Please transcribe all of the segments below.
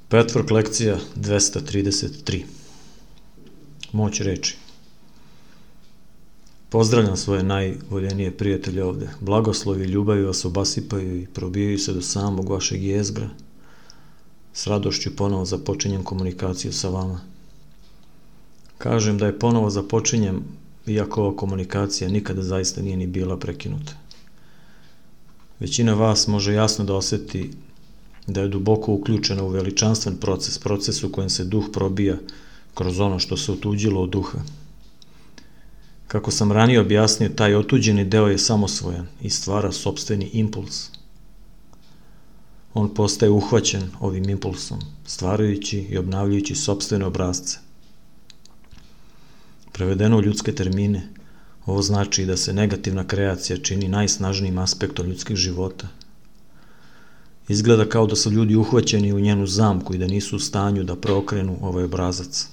Petwork lekcija 233. Moć reči. Pozdravljam svoje najvoljenije prijatelje ovde. Blagoslovi i ljubavi vas obasipaju i probijaju se do samog vašeg jezgra. S radošću ponovo započinjem komunikaciju sa vama. Kažem da je ponovo započinjem, iako ova komunikacija nikada zaista nije ni bila prekinuta. Većina vas može jasno da osjeti da je duboko uključena u veličanstven proces u kojem se duh probija kroz ono što se otuđilo od duha. Kako sam ranije objasnio, taj otuđeni deo je samosvojan i stvara sopstveni impuls. On postaje uhvaćen ovim impulsom, stvarajući i obnavljajući sopstvene obrazce. Prevedeno u ljudske termine, ovo znači da se negativna kreacija čini najsnažnijim aspektom ljudskih života. Izgleda kao da su ljudi uhvaćeni u njenu zamku i da nisu u stanju da preokrenu ovaj obrazac.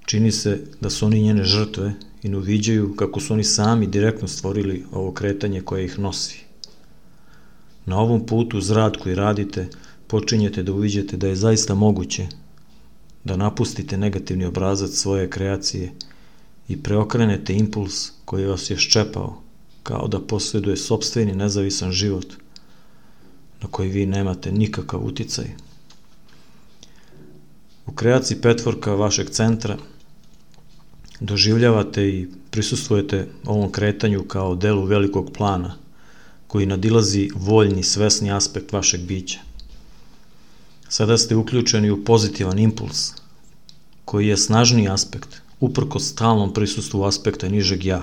Čini se da su oni njene žrtve i ne uviđaju kako su oni sami direktno stvorili ovo kretanje koje ih nosi. Na ovom putu uz rad koji radite počinjete da uviđate da je zaista moguće da napustite negativni obrazac svoje kreacije i preokrenete impuls koji vas je ščepao, kao da posjeduje sopstveni nezavisan život na koji vi nemate nikakav uticaj. U kreaciji Petworka vašeg centra doživljavate i prisustvujete ovom kretanju kao delu velikog plana koji nadilazi voljni, svesni aspekt vašeg bića. Sada ste uključeni u pozitivan impuls koji je snažniji aspekt uprkos stalnom prisustvu aspekta nižeg ja.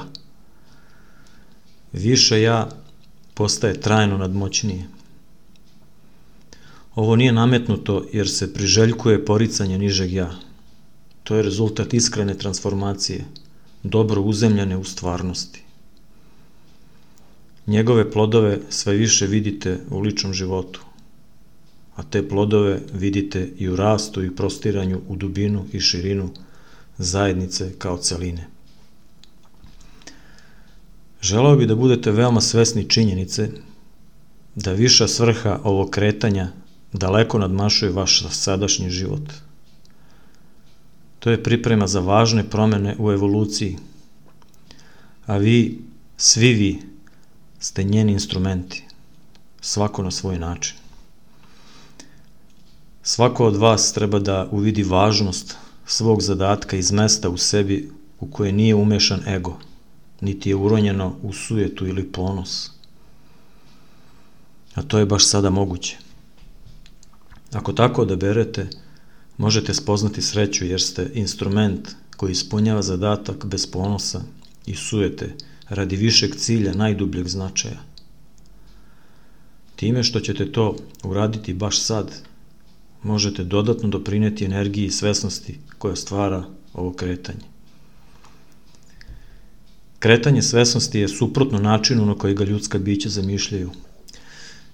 Više ja postaje trajno nadmoćnije. Ovo nije nametnuto jer se priželjkuje poricanje nižeg ja. To je rezultat iskrene transformacije, dobro uzemljene u stvarnosti. Njegove plodove sve više vidite u ličnom životu, a te plodove vidite i u rastu i prostiranju u dubinu i širinu zajednice kao celine. Želeo bih da budete veoma svesni činjenice da viša svrha ovog kretanja daleko nadmašuje vaš sadašnji život. To je priprema za važne promene u evoluciji, a vi, svi vi, ste njeni instrumenti, svako na svoj način. Svako od vas treba da uvidi važnost svog zadatka iz mesta u sebi u koje nije umešan ego, niti je uronjeno u sujetu ili ponos. A to je baš sada moguće. Ako tako odaberete, možete spoznati sreću jer ste instrument koji ispunjava zadatak bez ponosa i sujete radi višeg cilja najdubljeg značaja. Time što ćete to uraditi baš sad, možete dodatno doprineti energiji i svesnosti koja stvara ovo kretanje. Kretanje svesnosti je suprotno načinu na koji ga ljudska bića zamišljaju.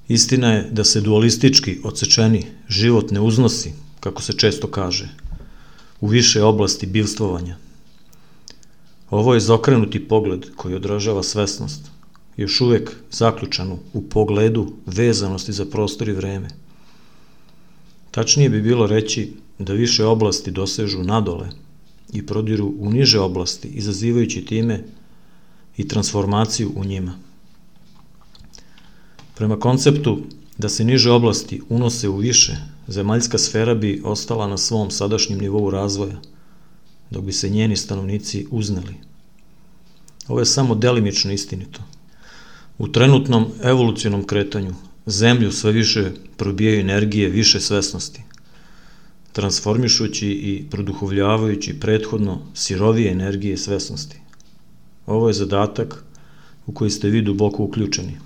Istina je da se dualistički, odsečeni život ne uznosi, kako se često kaže, u više oblasti bivstvovanja. Ovo je izokrenuti pogled koji odražava svesnost, još uvek zaključanu u pogledu vezanosti za prostor i vreme. Tačnije bi bilo reći da više oblasti dosežu nadole i prodiru u niže oblasti, izazivajući time i transformaciju u njima. Prema konceptu da se niže oblasti unose u više, zemaljska sfera bi ostala na svom sadašnjem nivou razvoja, dok bi se njeni stanovnici uzneli. Ovo je samo delimično istinito. U trenutnom evolucionom kretanju Zemlju sve više probijaju energije više svesnosti, transformišući i produhovljavajući prethodno sirovije energije svesnosti. Ovo je zadatak u koji ste vi duboko uključeni.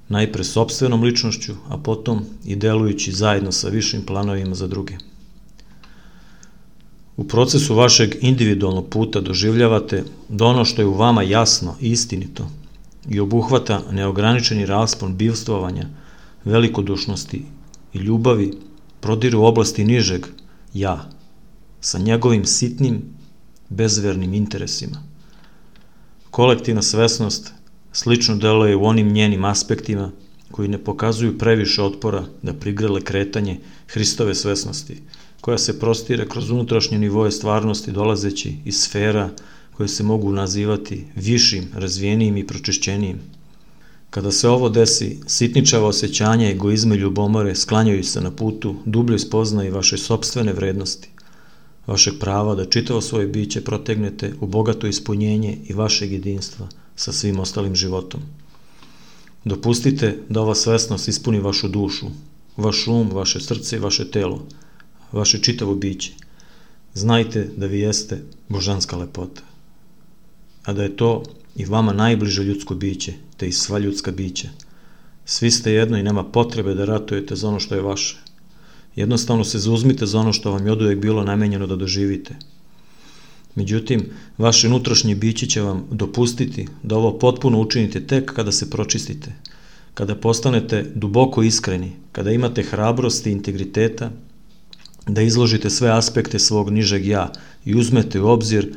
Najpre sopstvenom ličnošću, a potom i delujući zajedno sa višim planovima za druge. U procesu vašeg individualnog puta doživljavate da ono što je u vama jasno i istinito i obuhvata neograničeni raspon bivstvovanja, velikodušnosti i ljubavi prodiru u oblasti nižeg ja, sa njegovim sitnim, bezvernim interesima. Kolektivna svesnost slično deluje u onim njenim aspektima koji ne pokazuju previše otpora da prigrle kretanje Hristove svesnosti, koja se prostire kroz unutrašnje nivoje stvarnosti dolazeći iz sfera koje se mogu nazivati višim, razvijenijim i pročišćenijim. Kada se ovo desi, sitničava osjećanja, egoizma i ljubomore sklanjaju se na putu dubljoj spoznaji vaše sopstvene vrednosti, vašeg prava da čitavo svoje biće protegnete u bogato ispunjenje i vašeg jedinstva sa svim ostalim životom. Dopustite da ova svesnost ispuni vašu dušu, vaš um, vaše srce i vaše telo, vaše čitavo biće. Znajte da vi jeste božanska lepota, a da je to i vama najbliže ljudsko biće, te i sva ljudska bića. Svi ste jedno i nema potrebe da ratujete za ono što je vaše. Jednostavno se zauzmite za ono što vam je oduvek bilo namenjeno da doživite. Međutim, vaše unutrašnje biće će vam dopustiti da ovo potpuno učinite tek kada se pročistite, kada postanete duboko iskreni, kada imate hrabrosti i integriteta, da izložite sve aspekte svog nižeg ja i uzmete u obzir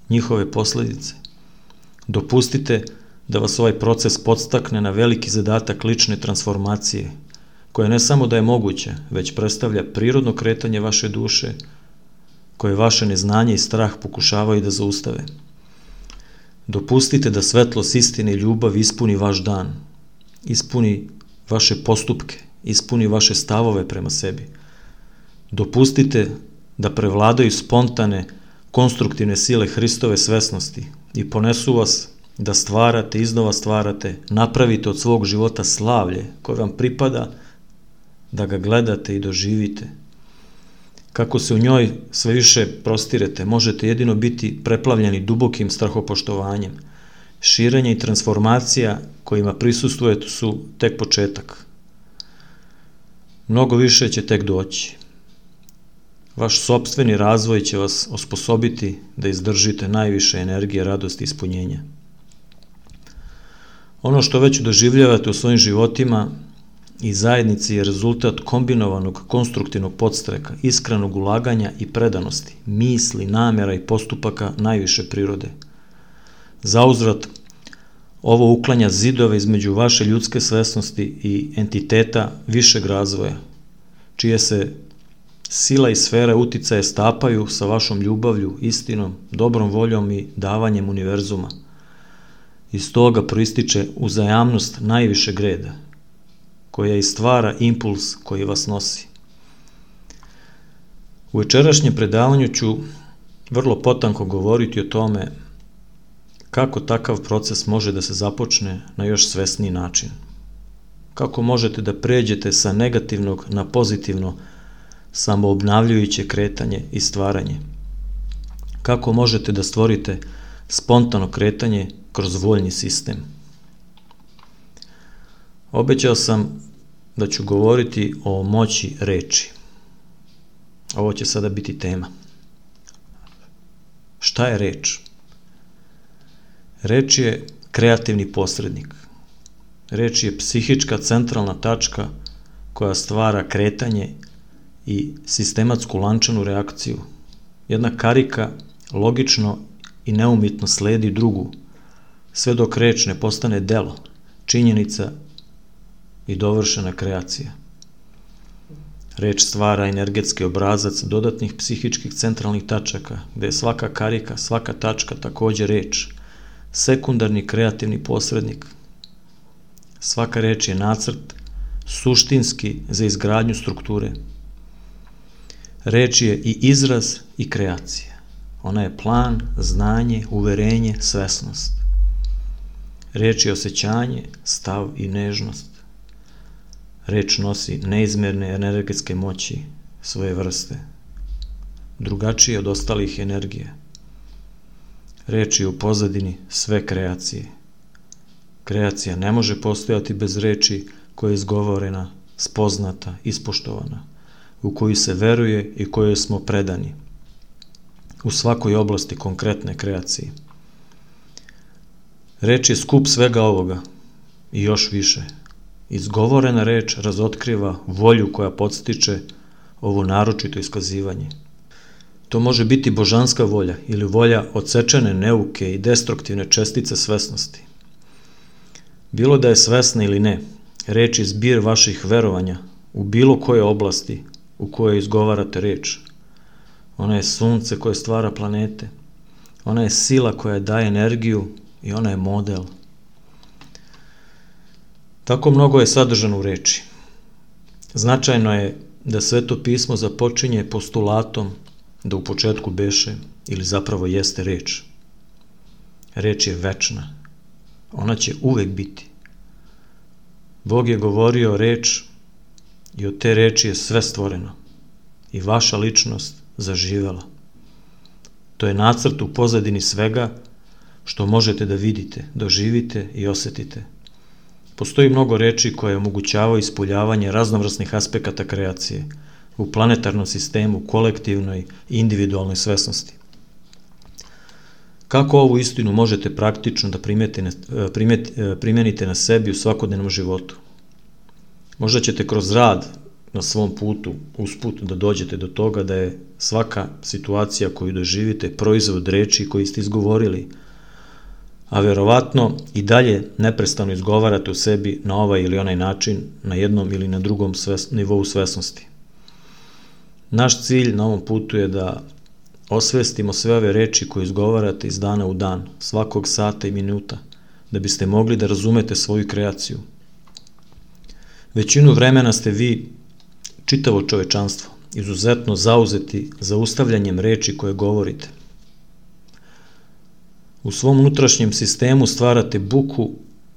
njihove posledice. Dopustite da vas ovaj proces podstakne na veliki zadatak lične transformacije, koja ne samo da je moguća, već predstavlja prirodno kretanje vaše duše, koje vaše neznanje i strah pokušavaju da zaustave. Dopustite da svetlost istine i ljubav ispuni vaš dan, ispuni vaše postupke, ispuni vaše stavove prema sebi. Dopustite da prevladaju spontane, konstruktivne sile Hristove svesnosti i ponesu vas da stvarate, iznova stvarate, napravite od svog života slavlje koje vam pripada, da ga gledate i doživite. Kako se u njoj sve više prostirete, možete jedino biti preplavljeni dubokim strahopoštovanjem. Širenje i transformacija kojima prisustvujete su tek početak. Mnogo više će tek doći. Vaš sopstveni razvoj će vas osposobiti da izdržite najviše energije, radosti i ispunjenja. Ono što već doživljavate u svojim životima i zajednici je rezultat kombinovanog konstruktivnog podstreka, iskrenog ulaganja i predanosti, misli, namjera i postupaka najviše prirode. Zauzvrat, ovo uklanja zidove između vaše ljudske svesnosti i entiteta višeg razvoja, čije se sila i sfere uticaje stapaju sa vašom ljubavlju, istinom, dobrom voljom i davanjem univerzuma. Iz toga proističe uzajamnost najvišeg reda, koja i stvara impuls koji vas nosi. U večerašnjem predavanju ću vrlo potanko govoriti o tome kako takav proces može da se započne na još svesniji način. Kako možete da pređete sa negativnog na pozitivno, samoobnavljujuće kretanje i stvaranje. Kako možete da stvorite spontano kretanje kroz voljni sistem. Obećao sam da ću govoriti o moći reči. Ovo će sada biti tema. Šta je reč? Reč je kreativni posrednik. Reč je psihička centralna tačka koja stvara kretanje i sistematsku lančanu reakciju. Jedna karika logično i neumitno sledi drugu, sve dok reč ne postane delo, činjenica i dovršena kreacija. Reč stvara energetski obrazac dodatnih psihičkih centralnih tačaka, gde je svaka karika, svaka tačka takođe reč, sekundarni kreativni posrednik. Svaka reč je nacrt, suštinski za izgradnju strukture. Reč je i izraz i kreacija. Ona je plan, znanje, uverenje, svesnost. Reč je osjećanje, stav i nežnost. Reč nosi neizmerne energetske moći svoje vrste, drugačije od ostalih energija. Reč je u pozadini sve kreacije. Kreacija ne može postojati bez reči koja je izgovorena, spoznata, ispoštovana, u koju se veruje i kojoj smo predani, u svakoj oblasti konkretne kreacije. Reč je skup svega ovoga i još više. Izgovorena reč razotkriva volju koja podstiče ovo naročito iskazivanje. To može biti božanska volja ili volja odsečene neuke i destruktivne čestice svesnosti. Bilo da je svesna ili ne, Reč je zbir vaših verovanja u bilo koje oblasti u kojoj izgovarate reč. Ona je sunce koje stvara planete. Ona je sila koja daje energiju i ona je model. Tako mnogo je sadržano u reči. Značajno je da Sveto pismo započinje postulatom da u početku beše ili zapravo jeste reč. Reč je večna. Ona će uvek biti. Bog je govorio reč i od te reči je sve stvoreno i vaša ličnost zaživela. To je nacrt u pozadini svega što možete da vidite, doživite i osetite. Postoji mnogo reči koje omogućavaju ispoljavanje raznovrsnih aspekata kreacije u planetarnom sistemu, kolektivnoj i individualnoj svesnosti. Kako ovu istinu možete praktično da primenite na sebi u svakodnevnom životu? Možda ćete kroz rad na svom putu, usput, da dođete do toga da je svaka situacija koju doživite proizvod reči koji ste izgovorili, a verovatno i dalje neprestano izgovarate u sebi na ovaj ili onaj način, na jednom ili na drugom nivou svesnosti. Naš cilj na ovom putu je da osvestimo sve ove reči koje izgovarate iz dana u dan, svakog sata i minuta, da biste mogli da razumete svoju kreaciju. Većinu vremena ste vi, čitavo čovečanstvo, izuzetno zauzeti zaustavljanjem reči koje govorite. U svom unutrašnjem sistemu stvarate buku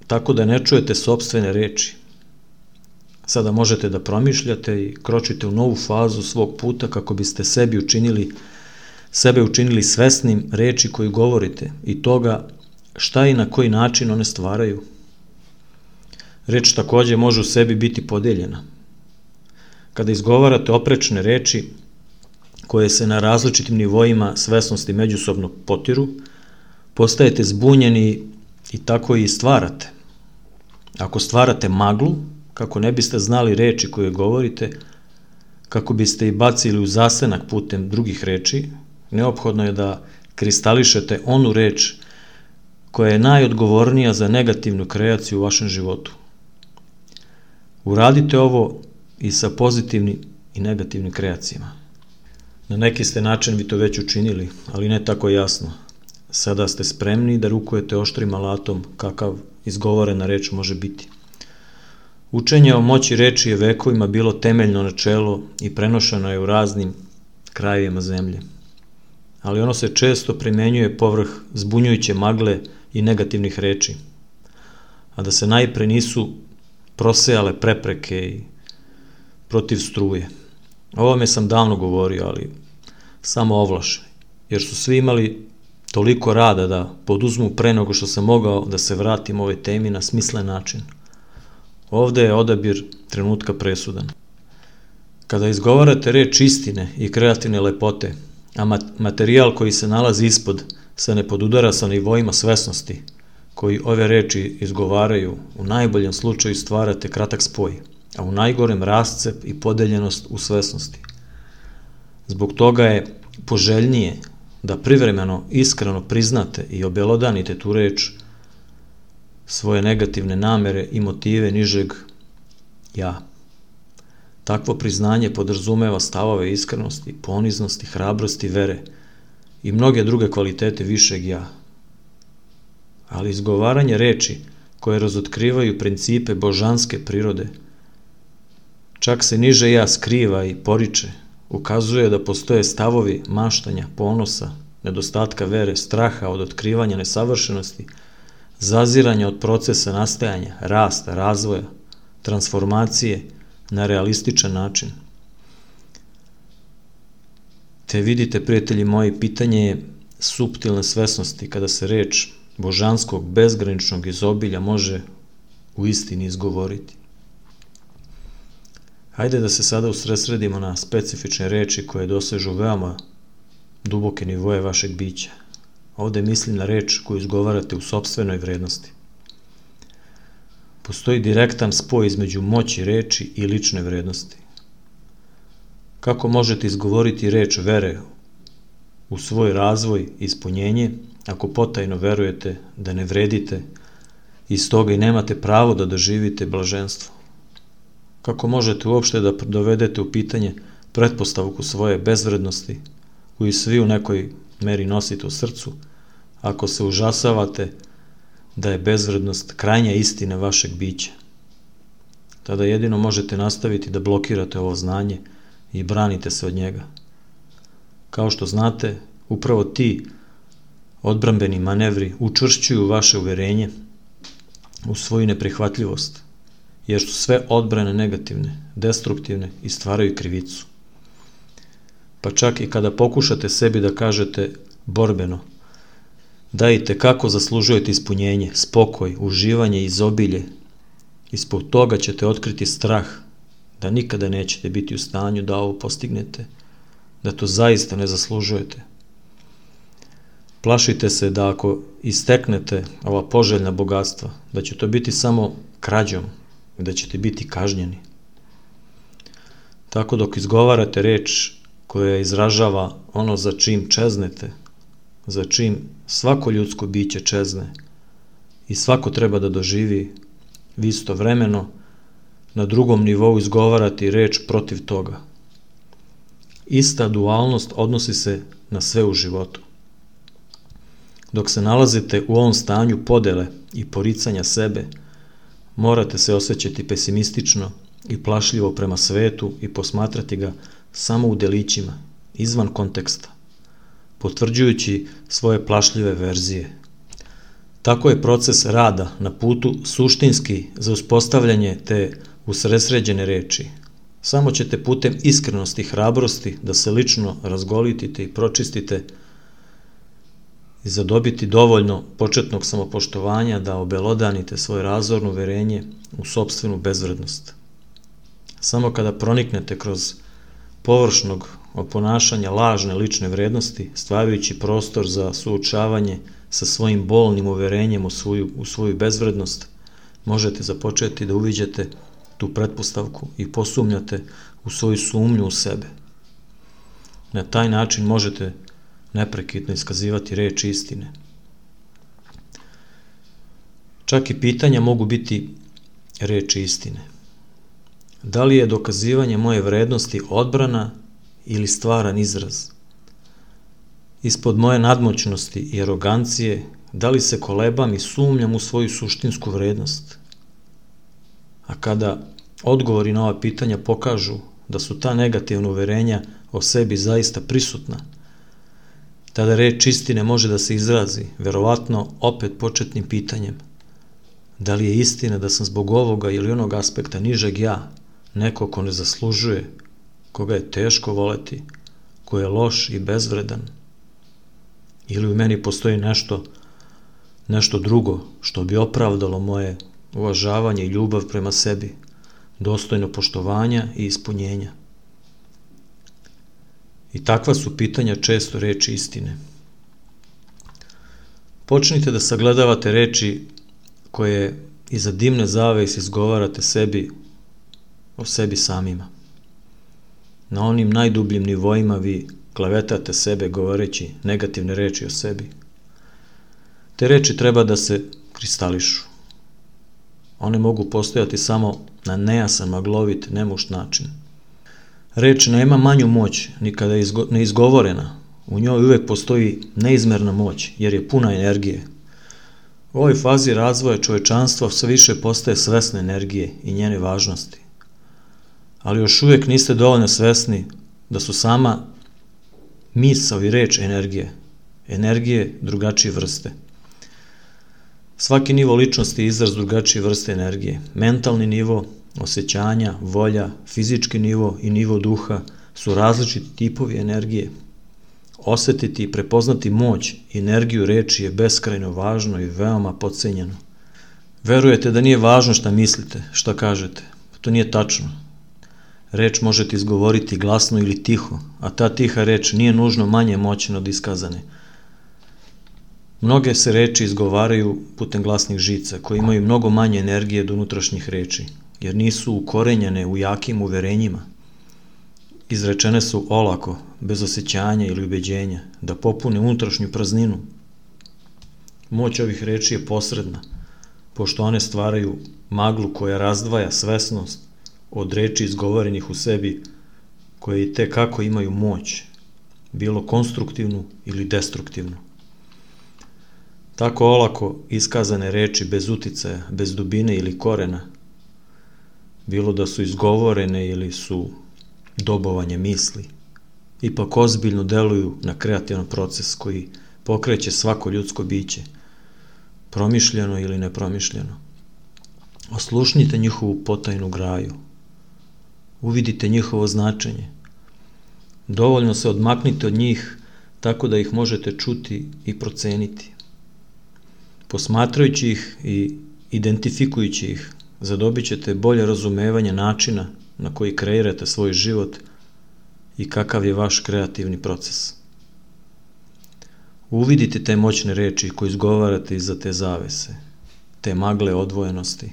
tako da ne čujete sopstvene reči. Sada možete da promišljate i kročite u novu fazu svog puta kako biste sebe učinili svesnim reči koju govorite i toga šta i na koji način one stvaraju. Reč takođe može u sebi biti podeljena. Kada izgovarate oprečne reči koje se na različitim nivoima svesnosti međusobno potiru, postajete zbunjeni i tako i stvarate. Ako stvarate maglu, kako ne biste znali reči koje govorite, kako biste ih bacili u zasenak putem drugih reči, neophodno je da kristališete onu reč koja je najodgovornija za negativnu kreaciju u vašem životu. Uradite ovo i sa pozitivnim i negativnim kreacijama. Na neki ste način vi to već učinili, ali ne tako jasno. Sada ste spremni da rukujete oštrim alatom kakav izgovorena reč može biti. Učenje o moći reči je vekovima bilo temeljno načelo i prenošeno je u raznim krajevima zemlje. Ali ono se često primenjuje povrh zbunjujuće magle i negativnih reči, a da se najpre nisu prosejale prepreke i protiv struje. O ovome sam davno govorio, ali samo ovlašeni, jer su svi imali toliko rada da poduzmu pre nego što sam mogao da se vratim ovoj temi na smislen način. Ovde je odabir trenutka presudan. Kada izgovarate reč istine i kreativne lepote, a materijal koji se nalazi ispod se ne podudara sa nivoima svesnosti koji ove reči izgovaraju, u najboljem slučaju stvarate kratak spoj, a u najgorem rascep i podeljenost u svesnosti. Zbog toga je poželjnije da privremeno, iskreno priznate i obelodanite tu reč, svoje negativne namere i motive nižeg ja. Takvo priznanje podrazumeva stavove iskrenosti, poniznosti, hrabrosti, vere i mnoge druge kvalitete višeg ja. Ali izgovaranje reči koje razotkrivaju principe božanske prirode, čak se niže ja skriva i poriče, ukazuje da postoje stavovi maštanja, ponosa, nedostatka vere, straha od otkrivanja nesavršenosti, zaziranja od procesa nastajanja, rasta, razvoja, transformacije na realističan način. Te vidite, prijatelji moji, pitanje je suptilne svesnosti kada se reč božanskog bezgraničnog izobilja može u istini izgovoriti. Hajde da se sada usredsredimo na specifične reči koje dosežu veoma duboke nivoje vašeg bića. Ovde mislim na reč koju izgovarate u sopstvenoj vrednosti. Postoji direktan spoj između moći reči i lične vrednosti. Kako možete izgovoriti reč vere u svoj razvoj i ispunjenje ako potajno verujete da ne vredite i stoga i nemate pravo da doživite blaženstvo? Kako možete uopšte da dovedete u pitanje pretpostavku svoje bezvrednosti, koju svi u nekoj meri nosite u srcu, ako se užasavate da je bezvrednost krajnja istina vašeg bića? Tada jedino možete nastaviti da blokirate ovo znanje i branite se od njega. Kao što znate, upravo ti odbrambeni manevri učvršćuju vaše uverenje u svoju neprihvatljivost, jer su sve odbrane negativne, destruktivne i stvaraju krivicu. Pa čak i kada pokušate sebi da kažete borbeno da i tekako zaslužujete ispunjenje, spokoj, uživanje i izobilje, ispod toga ćete otkriti strah da nikada nećete biti u stanju da ovo postignete, da to zaista ne zaslužujete. Plašite se da ako isteknete ova poželjna bogatstva, da će to biti samo krađom i da ćete biti kažnjeni. Tako dok izgovarate reč koja izražava ono za čim čeznete, za čim svako ljudsko biće čezne i svako treba da doživi, vi istovremeno na drugom nivou izgovarate reč protiv toga. Ista dualnost odnosi se na sve u životu. Dok se nalazite u ovom stanju podele i poricanja sebe, morate se osjećati pesimistično i plašljivo prema svetu i posmatrati ga samo u delićima, izvan konteksta, potvrđujući svoje plašljive verzije. Tako je proces rada na putu suštinski za uspostavljanje te usredsređene reči. Samo ćete putem iskrenosti i hrabrosti da se lično razgolitite i pročistite i zadobiti dovoljno početnog samopoštovanja da obelodanite svoje razorno uverenje u sopstvenu bezvrednost. Samo kada proniknete kroz površnog oponašanja lažne lične vrednosti, stvarajući prostor za suočavanje sa svojim bolnim uverenjem u svoju bezvrednost, možete započeti da uviđate tu pretpostavku i posumnjate u svoju sumnju u sebe. Na taj način možete neprekidno iskazivati reč istine. Čak i pitanja mogu biti reči istine. Da li je dokazivanje moje vrednosti odbrana ili stvaran izraz? Ispod moje nadmoćnosti i arogancije, da li se kolebam i sumnjam u svoju suštinsku vrednost? A kada odgovori na ova pitanja pokažu da su ta negativna uverenja o sebi zaista prisutna, tada reč istine može da se izrazi, verovatno opet početnim pitanjem. Da li je istina da sam zbog ovoga ili onog aspekta nižeg ja, neko ko ne zaslužuje, koga je teško voleti, ko je loš i bezvredan? Ili u meni postoji nešto drugo što bi opravdalo moje uvažavanje i ljubav prema sebi, dostojno poštovanja i ispunjenja? I takva su pitanja često reči istine. Počnite da sagledavate reči koje iza dimne zavese izgovarate sebi o sebi samima. Na onim najdubljim nivoima vi klevetate sebe govoreći negativne reči o sebi. Te reči treba da se kristališu. One mogu postojati samo na nejasan, maglovit, nemušt način. Reč nema manju moć ni kada je neizgovorena. U njoj uvek postoji neizmerna moć, jer je puna energije. U ovoj fazi razvoja čovečanstva sve više postaje svesne energije i njene važnosti. Ali još uvek niste dovoljno svesni da su sama misao i reč energije drugačije vrste. Svaki nivo ličnosti je izraz drugačije vrste energije. Mentalni nivo, osjećanja, volja, fizički nivo i nivo duha su različiti tipovi energije. Osetiti i prepoznati moć i energiju reči je beskrajno važno i veoma podcenjeno. Verujete da nije važno šta mislite, šta kažete. To nije tačno. Reč možete izgovoriti glasno ili tiho, a ta tiha reč nije nužno manje moćna od iskazane. Mnoge se reči izgovaraju putem glasnih žica, koje imaju mnogo manje energije od unutrašnjih reči, jer nisu ukorenjene u jakim uverenjima. Izrečene su olako, bez osjećanja ili ubeđenja, da popune unutrašnju prazninu. Moć ovih reči je posredna, pošto one stvaraju maglu koja razdvaja svesnost od reči izgovorenih u sebi koje i te kako imaju moć, bilo konstruktivnu ili destruktivnu. Tako olako iskazane reči bez uticaja, bez dubine ili korena, bilo da su izgovorene ili su dobovanje misli, ipak ozbiljno deluju na kreativan proces koji pokreće svako ljudsko biće, promišljeno ili nepromišljeno. Oslušnite njihovu potajnu graju, uvidite njihovo značenje, dovoljno se odmaknite od njih tako da ih možete čuti i proceniti. Posmatrajući ih i identifikujući ih, zadobit ćete bolje razumevanje načina na koji kreirate svoj život i kakav je vaš kreativni proces. Uvidite te moćne reči koje izgovarate iza te zavese, te magle odvojenosti.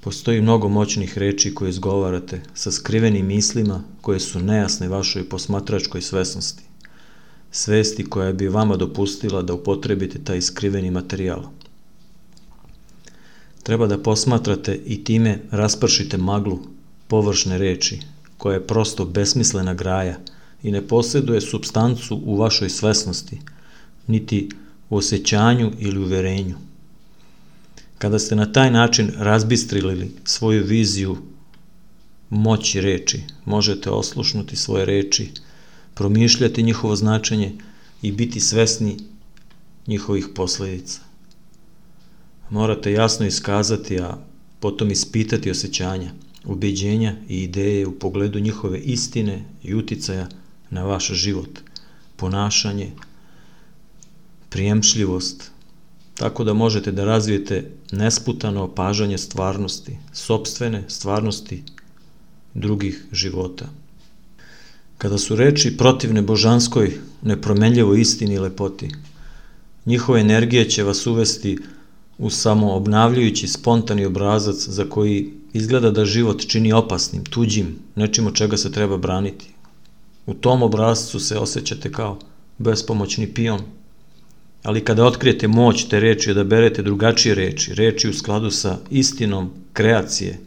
Postoji mnogo moćnih reči koje izgovarate sa skrivenim mislima koje su nejasne vašoj posmatračkoj svesnosti, svesti koja bi vama dopustila da upotrebite taj skriveni materijal. Treba da posmatrate i time raspršite maglu površne reči, koja je prosto besmislena graja i ne posjeduje supstancu u vašoj svesnosti, niti u osjećanju ili uverenju. Kada ste na taj način razbistrili svoju viziju moći reči, možete oslušnuti svoje reči, promišljati njihovo značenje i biti svesni njihovih posledica. Morate jasno iskazati, a potom ispitati osjećanja, ubeđenja i ideje u pogledu njihove istine i uticaja na vaš život, ponašanje, prijemčljivost, tako da možete da razvijete nesputano opažanje stvarnosti, sopstvene stvarnosti drugih života. Kada su reči protivne božanskoj, nepromenljivoj istini i lepoti, njihove energije će vas uvesti u samoobnavljajući spontani obrazac za koji izgleda da život čini opasnim, tuđim, nečim od čega se treba braniti. U tom obrazcu se osjećate kao bespomoćni pion, ali kada otkrijete moć te reči i odaberete drugačije reči u skladu sa istinom kreacije,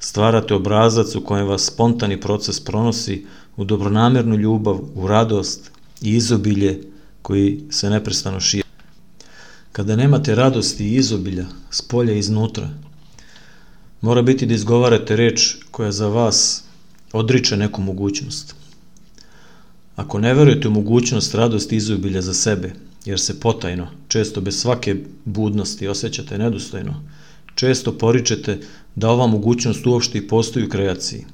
stvarate obrazac u kojem vas spontani proces pronosi u dobronamernu ljubav, u radost i izobilje koji se neprestano širi. Kada nemate radosti i izobilja, spolja i iznutra, mora biti da izgovarate reč koja za vas odriče neku mogućnost. Ako ne verujete u mogućnost radosti i izobilja za sebe, jer se potajno, često bez svake budnosti osjećate nedostojno, često poričete da ova mogućnost uopšte i postoji u kreaciji.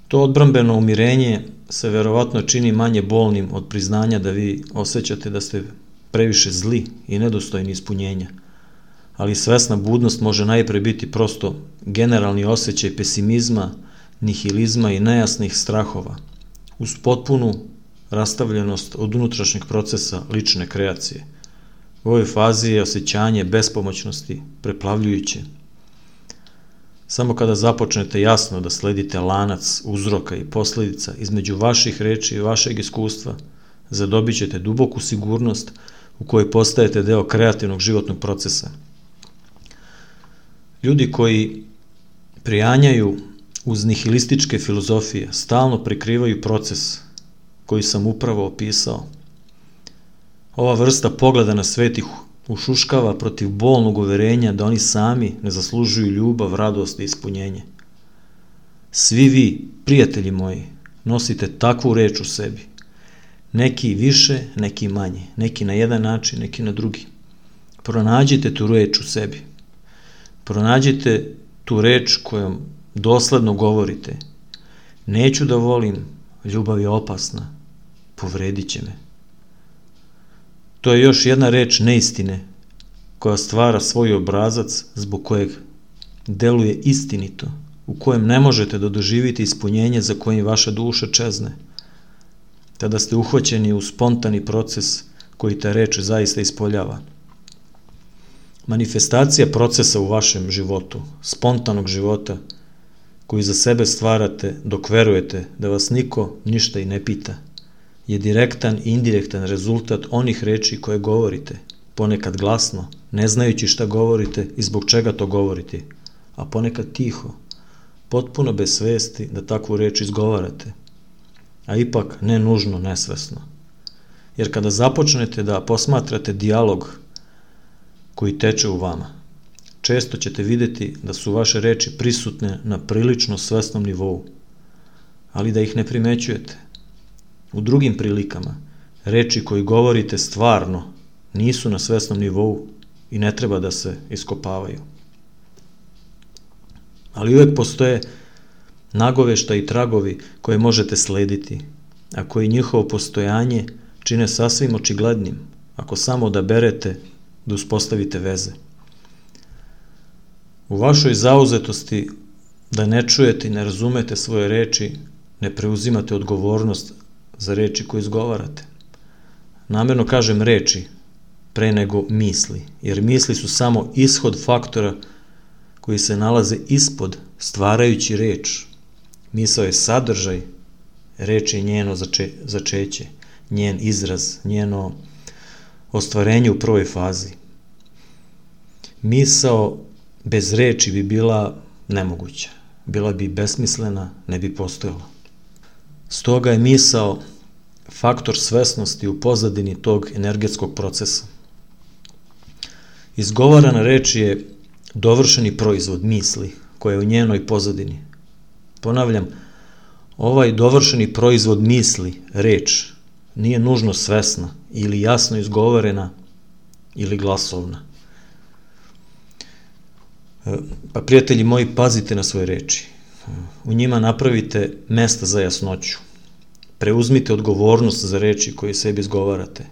To odbrambeno umirenje se verovatno čini manje bolnim od priznanja da vi osjećate da ste previše zli i nedostojni ispunjenja, ali svesna budnost može najpre biti prosto generalni osjećaj pesimizma, nihilizma i nejasnih strahova, uz potpunu rastavljenost od unutrašnjeg procesa lične kreacije. U ovoj fazi je osjećanje bespomoćnosti preplavljujuće. Samo kada započnete jasno da sledite lanac uzroka i posledica između vaših reči i vašeg iskustva, zadobit ćete duboku sigurnost u kojoj postajete deo kreativnog životnog procesa. Ljudi koji prijanjaju uz nihilističke filozofije stalno prikrivaju proces koji sam upravo opisao. Ova vrsta pogleda na svet ih ušuškava protiv bolnog uverenja da oni sami ne zaslužuju ljubav, radost i ispunjenje. Svi vi, prijatelji moji, nosite takvu reč u sebi. Neki više, neki manje, neki na jedan način, neki na drugi. Pronađite tu reč u sebi. Pronađite tu reč kojom dosledno govorite. Neću da volim, ljubav je opasna, povredit će me. To je još jedna reč neistine koja stvara svoj obrazac zbog kojeg deluje istinito, u kojem ne možete da doživite ispunjenje za kojim vaša duša čezne. Tada ste uhvaćeni u spontani proces koji ta reč zaista ispoljava. Manifestacija procesa u vašem životu, spontanog života, koji za sebe stvarate dok verujete da vas niko ništa i ne pita, je direktan i indirektan rezultat onih reči koje govorite, ponekad glasno, ne znajući šta govorite i zbog čega to govorite, a ponekad tiho, potpuno bez svesti da takvu reč izgovarate, a ipak ne nužno nesvesno. Jer kada započnete da posmatrate dijalog koji teče u vama, često ćete vidjeti da su vaše reči prisutne na prilično svesnom nivou, ali da ih ne primećujete. U drugim prilikama, reči koji govorite stvarno nisu na svesnom nivou i ne treba da se iskopavaju. Ali uvek postoje nagovešta i tragovi koje možete slediti, a koji njihovo postojanje čine sasvim očiglednim, ako samo odaberete da uspostavite veze. U vašoj zauzetosti da ne čujete i ne razumete svoje reči, ne preuzimate odgovornost za reči koje izgovarate. Namerno kažem reči pre nego misli, jer misli su samo ishod faktora koji se nalaze ispod stvarajući reč. Misao je sadržaj, reč je njeno začeće, njen izraz, njeno ostvarenje u prvoj fazi. Misao bez reči bi bila nemoguća, bila bi besmislena, ne bi postojala. Stoga je misao faktor svesnosti u pozadini tog energetskog procesa. Izgovarana reč je dovršeni proizvod misli koja je u njenoj pozadini. Ponavljam, ovaj dovršeni proizvod misli, reč, nije nužno svesna ili jasno izgovorena ili glasovna. Pa prijatelji moji, pazite na svoje reči. U njima napravite mesta za jasnoću. Preuzmite odgovornost za reči koje sebi izgovarate.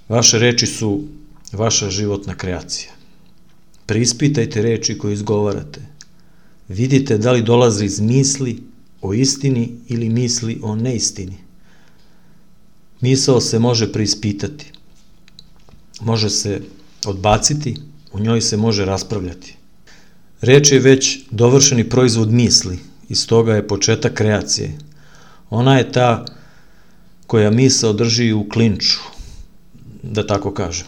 Vaše reči su vaša životna kreacija. Preispitajte reči koje izgovarate. Vidite da li dolaze iz misli o istini ili misli o neistini. Misao se može preispitati. Može se odbaciti, u njoj se može raspravljati. Reč je već dovršeni proizvod misli i stoga je početak kreacije. Ona je ta koja misao drži u klinču, da tako kažem.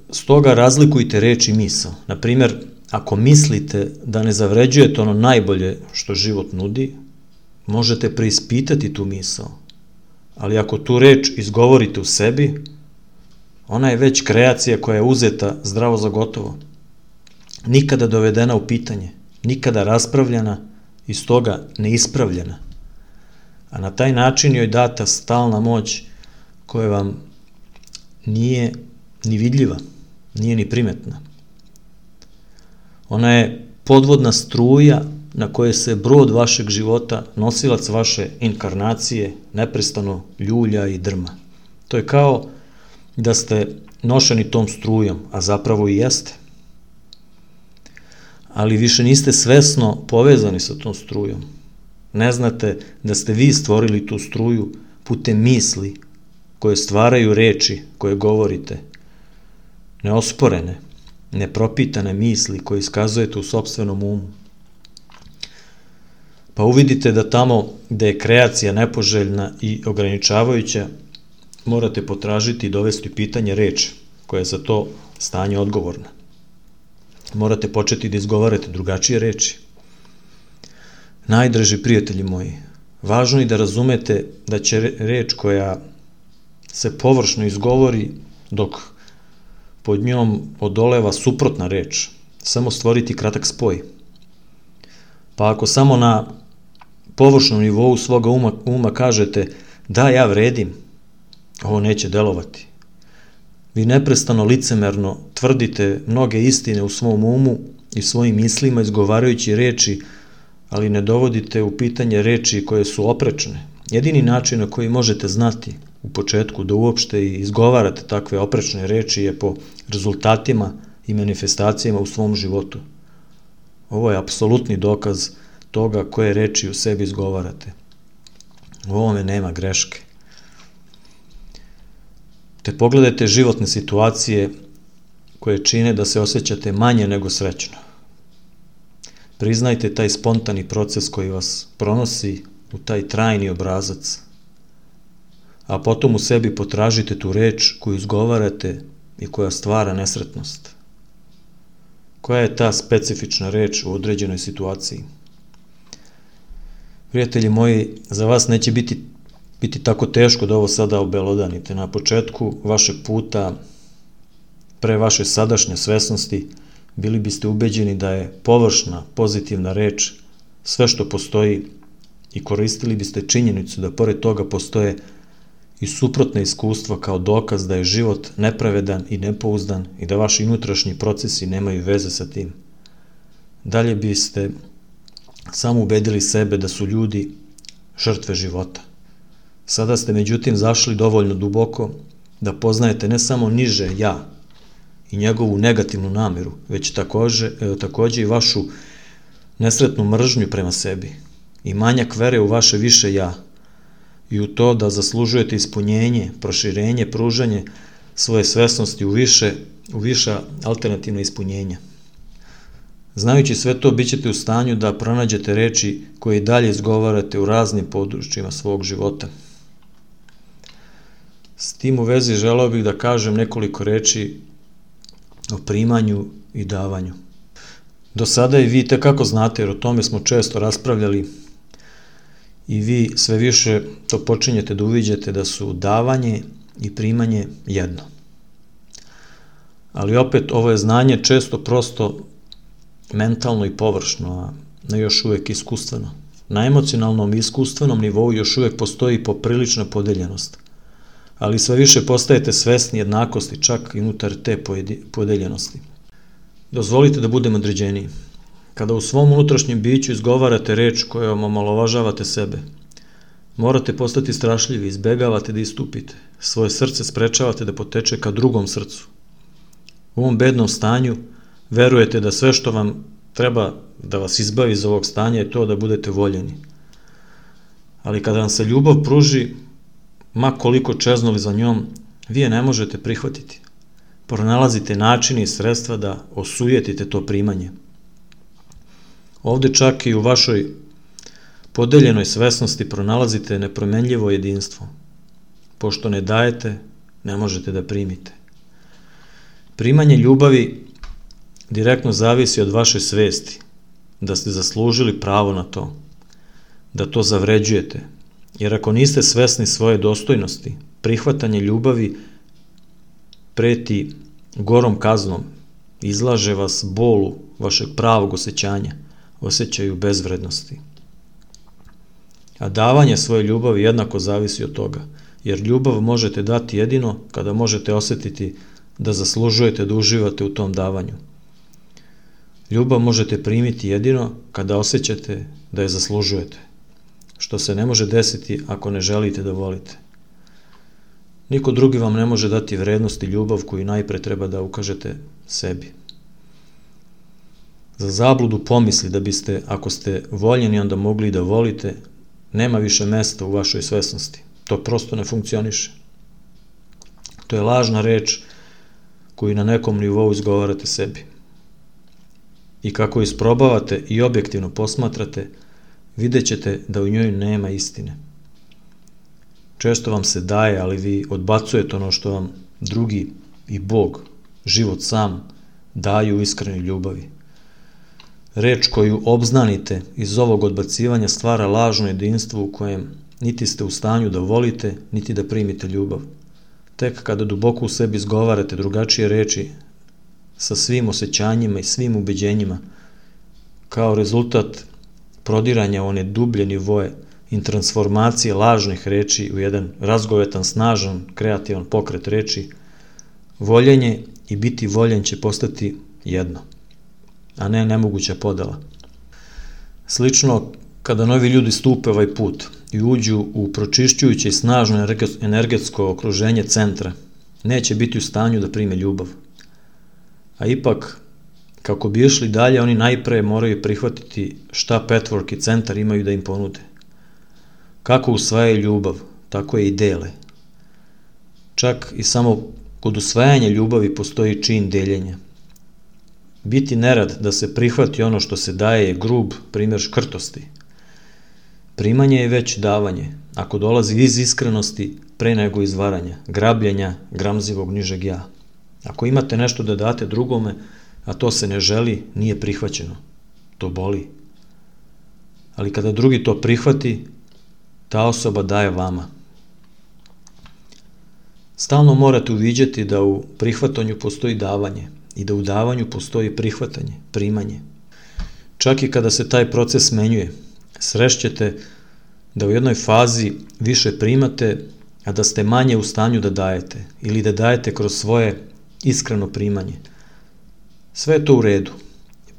Stoga razlikujte reč i misao. Na primjer, ako mislite da ne zavređujete ono najbolje što život nudi, možete preispitati tu misao. Ali ako tu reč izgovorite u sebi, ona je već kreacija koja je uzeta zdravo za gotovo. Nikada dovedena u pitanje, nikada raspravljena i stoga neispravljena. A na taj način joj data stalna moć koja vam nije ni vidljiva, nije ni primetna. Ona je podvodna struja na kojoj se brod vašeg života, nosilac vaše inkarnacije, neprestano ljulja i drma. To je kao da ste nošeni tom strujom, a zapravo i jeste. Ali više niste svesno povezani sa tom strujom. Ne znate da ste vi stvorili tu struju putem misli koje stvaraju reči koje govorite. Neosporene, nepropitane misli koje iskazujete u sopstvenom umu. Pa uvidite da tamo gde je kreacija nepoželjna i ograničavajuća, morate potražiti i dovesti pitanje reč koja je za to stanje odgovorna. Morate početi da izgovarate drugačije reči. Najdraži prijatelji moji, važno je da razumete da će reč koja se površno izgovori dok pod njom odoleva suprotna reč, samo stvoriti kratak spoj. Pa ako samo na površnom nivou svoga uma kažete da ja vredim, ovo neće delovati. Vi neprestano licemerno tvrdite mnoge istine u svom umu i svojim mislima izgovarajući reči, ali ne dovodite u pitanje reči koje su oprečne. Jedini način na koji možete znati u početku da uopšte i izgovarate takve oprečne reči je po rezultatima i manifestacijama u svom životu. Ovo je apsolutni dokaz toga koje reči u sebi izgovarate. U ovome nema greške. Te pogledajte životne situacije koje čine da se osjećate manje nego srećno. Priznajte taj spontani proces koji vas pronosi u taj trajni obrazac, a potom u sebi potražite tu reč koju izgovarate i koja stvara nesretnost, Koja je ta specifična reč u određenoj situaciji? Prijatelji moji, za vas neće biti tako teško da ovo sada obelodanite. Na početku vašeg puta, pre vaše sadašnje svesnosti, bili biste ubeđeni da je površna, pozitivna reč sve što postoji i koristili biste činjenicu da pored toga postoje i suprotne iskustva kao dokaz da je život nepravedan i nepouzdan i da vaši unutrašnji procesi nemaju veze sa tim. Dalje biste samo ubedili sebe da su ljudi žrtve života. Sada ste međutim zašli dovoljno duboko da poznajete ne samo niže ja i njegovu negativnu nameru, već takođe i vašu nesretnu mržnju prema sebi i manjak vere u vaše više ja i u to da zaslužujete ispunjenje, proširenje, pružanje svoje svesnosti u viša alternativna ispunjenja. Znajući sve to, bit ćete u stanju da pronađete reči koje i dalje izgovarate u raznim područjima svog života. S tim u vezi želeo bih da kažem nekoliko reči o primanju i davanju. Do sada i vi tekako znate, jer o tome smo često raspravljali, i vi sve više to počinjete da uviđate da su davanje i primanje jedno. Ali opet, ovo je znanje često prosto mentalno i površno, a ne još uvek iskustveno. Na emocionalnom i iskustvenom nivou još uvek postoji poprilična podeljenost, ali sve više postajete svesni jednakosti, čak i unutar te podeljenosti. Dozvolite da budem određeniji. Kada u svom unutrašnjem biću izgovarate reč kojom omalovažavate sebe, morate postati strašljivi, izbegavate da istupite, svoje srce sprečavate da poteče ka drugom srcu. U ovom bednom stanju verujete da sve što vam treba da vas izbavi iz ovog stanja je to da budete voljeni. Ali kada vam se ljubav pruži, ma koliko čeznuli za njom, vi je ne možete prihvatiti. Pronalazite načine i sredstva da osujetite to primanje. Ovde čak i u vašoj podeljenoj svesnosti pronalazite nepromenljivo jedinstvo. Pošto ne dajete, ne možete da primite. Primanje ljubavi direktno zavisi od vaše svesti, da ste zaslužili pravo na to, da to zavređujete, jer ako niste svesni svoje dostojnosti, prihvatanje ljubavi preti gorom kaznom, izlaže vas bolu vašeg pravog osjećanja, osjećaju bezvrednosti. A davanje svoje ljubavi jednako zavisi od toga, jer ljubav možete dati jedino kada možete osjetiti da zaslužujete da uživate u tom davanju. Ljubav možete primiti jedino kada osjećate da je zaslužujete, što se ne može desiti ako ne želite da volite. Niko drugi vam ne može dati vrednost i ljubav koju najpre treba da ukažete sebi. Za zabludu pomisli da biste, ako ste voljeni, onda mogli da volite, nema više mesta u vašoj svesnosti. To prosto ne funkcioniše. To je lažna reč koju na nekom nivou izgovarate sebi. I kako isprobavate i objektivno posmatrate, vidjet ćete da u njoj nema istine. Često vam se daje, ali vi odbacujete ono što vam drugi i Bog, život sam, daju u iskrenoj ljubavi. Reč koju obznanite iz ovog odbacivanja stvara lažno jedinstvo u kojem niti ste u stanju da volite, niti da primite ljubav. Tek kada duboko u sebi izgovarate drugačije reči sa svim osjećanjima i svim ubeđenjima, kao rezultat prodiranja one dublje nivoe i transformacije lažnih reči u jedan razgovetan, snažan, kreativan pokret reči, voljenje i biti voljen će postati jedno, a ne nemoguća podela. Slično, kada novi ljudi stupe ovaj put i uđu u pročišćujuće i snažno energetsko okruženje centra, neće biti u stanju da prime ljubav. A ipak, kako bi išli dalje, oni najpre moraju prihvatiti šta Petwork i centar imaju da im ponude. Kako usvajaju ljubav, tako je i dele. Čak i samo kod usvajanja ljubavi postoji čin deljenja. Biti nerad da se prihvati ono što se daje je grub primjer škrtosti. Primanje je već davanje, ako dolazi iz iskrenosti pre nego iz varanja, grabljenja, gramzivog nižeg ja. Ako imate nešto da date drugome, a to se ne želi, nije prihvaćeno. To boli. Ali kada drugi to prihvati, ta osoba daje vama. Stalno morate uviđati da u prihvatanju postoji davanje i da u davanju postoji prihvatanje, primanje. Čak i kada se taj proces smenjuje, srešćete da u jednoj fazi više primate, a da ste manje u stanju da dajete ili da dajete kroz svoje iskreno primanje. Sve je to u redu.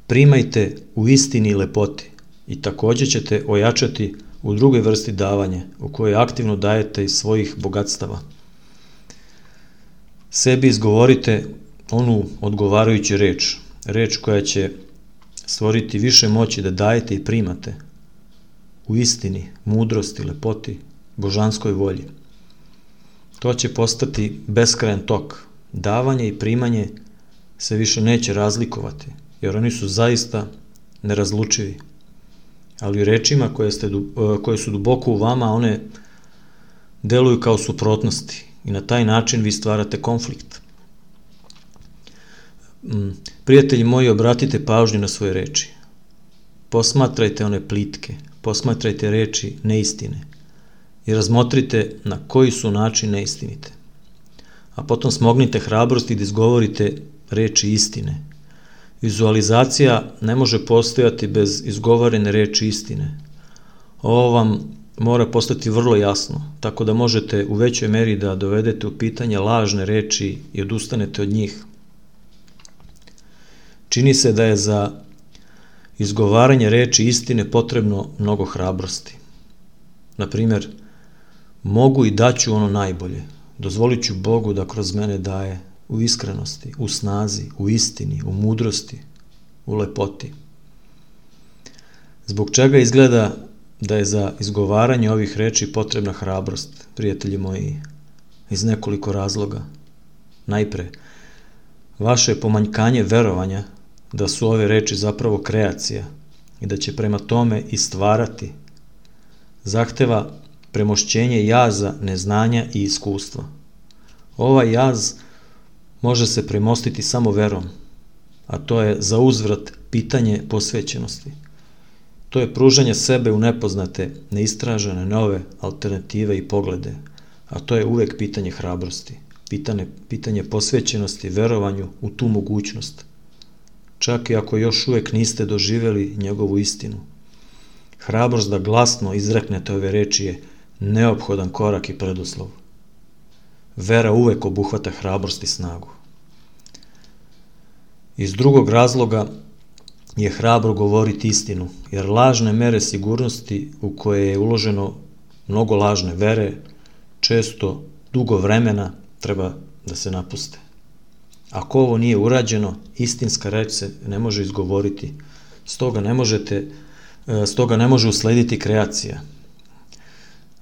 Primajte u istini i lepoti i također ćete ojačati u drugoj vrsti davanja u kojoj aktivno dajete iz svojih bogatstava. Sebi izgovorite onu odgovarajuću reč koja će stvoriti više moći da dajete i primate u istini, mudrosti, lepoti, božanskoj volji. To će postati beskrajan tok. Davanje i primanje se više neće razlikovati, jer oni su zaista nerazlučivi. Ali u rečima koje su duboko u vama, one deluju kao suprotnosti i na taj način vi stvarate konflikt. Prijatelji moji, obratite pažnju na svoje reči. Posmatrajte one plitke, posmatrajte reči neistine i razmotrite na koji su način neistinite. A potom smognite hrabrosti da izgovorite reči istine. Vizualizacija ne može postojati bez izgovorene reči istine. Ovo vam mora postati vrlo jasno, tako da možete u većoj meri da dovedete u pitanje lažne reči i odustanete od njih. Čini se da je za izgovaranje reči istine potrebno mnogo hrabrosti. Na primjer, mogu i daću ono najbolje. Dozvolit ću Bogu da kroz mene daje u iskrenosti, u snazi, u istini, u mudrosti, u lepoti. Zbog čega izgleda da je za izgovaranje ovih reči potrebna hrabrost, prijatelji moji, iz nekoliko razloga. Najpre, vaše pomanjkanje verovanja da su ove reči zapravo kreacija i da će prema tome i stvarati, zahteva premošćenje jaza, neznanja i iskustva. Ovaj jaz može se premostiti samo verom, a to je za uzvrat pitanje posvećenosti. To je pružanje sebe u nepoznate, neistražene, nove alternative i poglede, a to je uvek pitanje hrabrosti, pitanje posvećenosti, verovanju u tu mogućnost, čak i ako još uvek niste doživjeli njegovu istinu. Hrabrost da glasno izreknete ove reči je neophodan korak i preduslov. Vera uvek obuhvata hrabrost i snagu. Iz drugog razloga je hrabro govoriti istinu, jer lažne mere sigurnosti u koje je uloženo mnogo lažne vere, često dugo vremena treba da se napuste. Ako ovo nije urađeno, istinska reč se ne može izgovoriti, stoga ne može uslediti kreacija.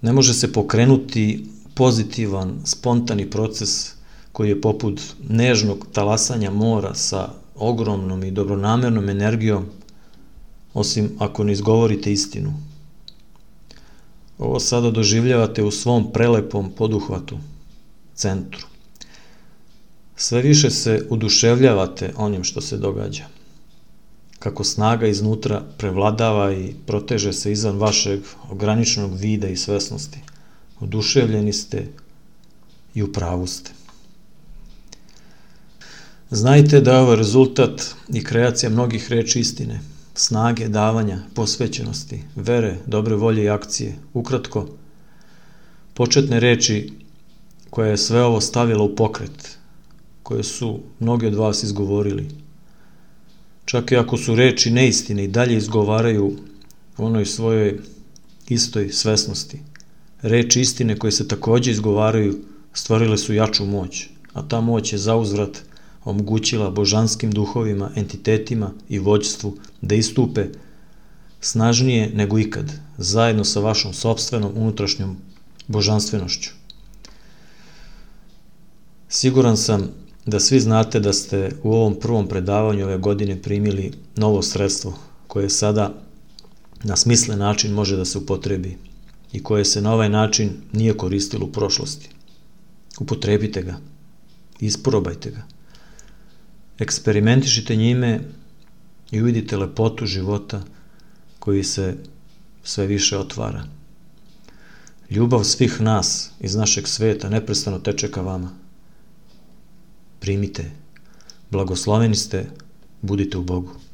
Ne može se pokrenuti pozitivan, spontani proces koji je poput nežnog talasanja mora sa ogromnom i dobronamernom energijom, osim ako ne izgovorite istinu. Ovo sada doživljavate u svom prelepom poduhvatu, centru. Sve više se oduševljavate onim što se događa. Kako snaga iznutra prevladava i proteže se izvan vašeg ograničenog vida i svesnosti. Oduševljeni ste i u pravu ste. Znajte da je ovo rezultat i kreacija mnogih reči istine, snage, davanja, posvećenosti, vere, dobre volje i akcije. Ukratko, početne reči koja je sve ovo stavila u pokret, koje su mnogi od vas izgovorili. Čak i ako su reči neistine i dalje izgovaraju u onoj svojoj istoj svesnosti. Reči istine koje se također izgovaraju stvorile su jaču moć, a ta moć je zauzvrat omogućila božanskim duhovima, entitetima i vođstvu da istupe snažnije nego ikad, zajedno sa vašom sopstvenom unutrašnjom božanstvenošću. Siguran sam da svi znate da ste u ovom prvom predavanju ove godine primili novo sredstvo koje sada na smislen način može da se upotrebi i koje se na ovaj način nije koristilo u prošlosti. Upotrebite ga, isprobajte ga. Eksperimentišite njime i uvidite lepotu života koji se sve više otvara. Ljubav svih nas iz našeg sveta neprestano teče ka vama. Primite, blagosloveni ste, budite u Bogu.